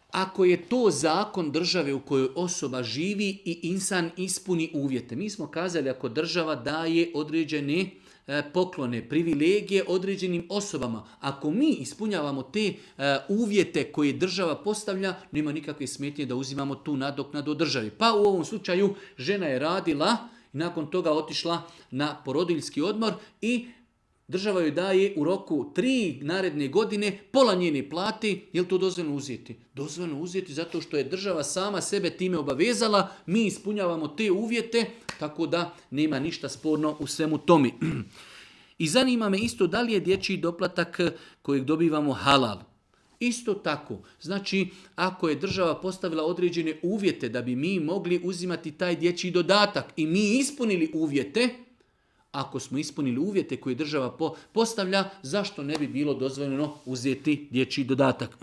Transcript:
Ako je to zakon države u kojoj osoba živi i insan ispuni uvjete. Mi smo kazali ako država daje određene poklone, privilegije određenim osobama. Ako mi ispunjavamo te uvjete koje država postavlja, nema nikakve smetnje da uzimamo tu nadoknadu od državi. Pa u ovom slučaju žena je radila i nakon toga otišla na porodiljski odmor i država joj daje u roku 3 naredne godine pola njene plati. Je li to dozvoljeno uzeti? Dozvoljeno uzeti zato što je država sama sebe time obavezala. Mi ispunjavamo te uvjete, tako da nema ništa sporno u svemu tome. I zanima me isto da li je dječji doplatak kojeg dobivamo halal. Isto tako, znači ako je država postavila određene uvjete da bi mi mogli uzimati taj dječji dodatak i mi ispunili uvjete, ako smo ispunili uvjete koje država postavlja, zašto ne bi bilo dozvoljeno uzeti dječji dodatak?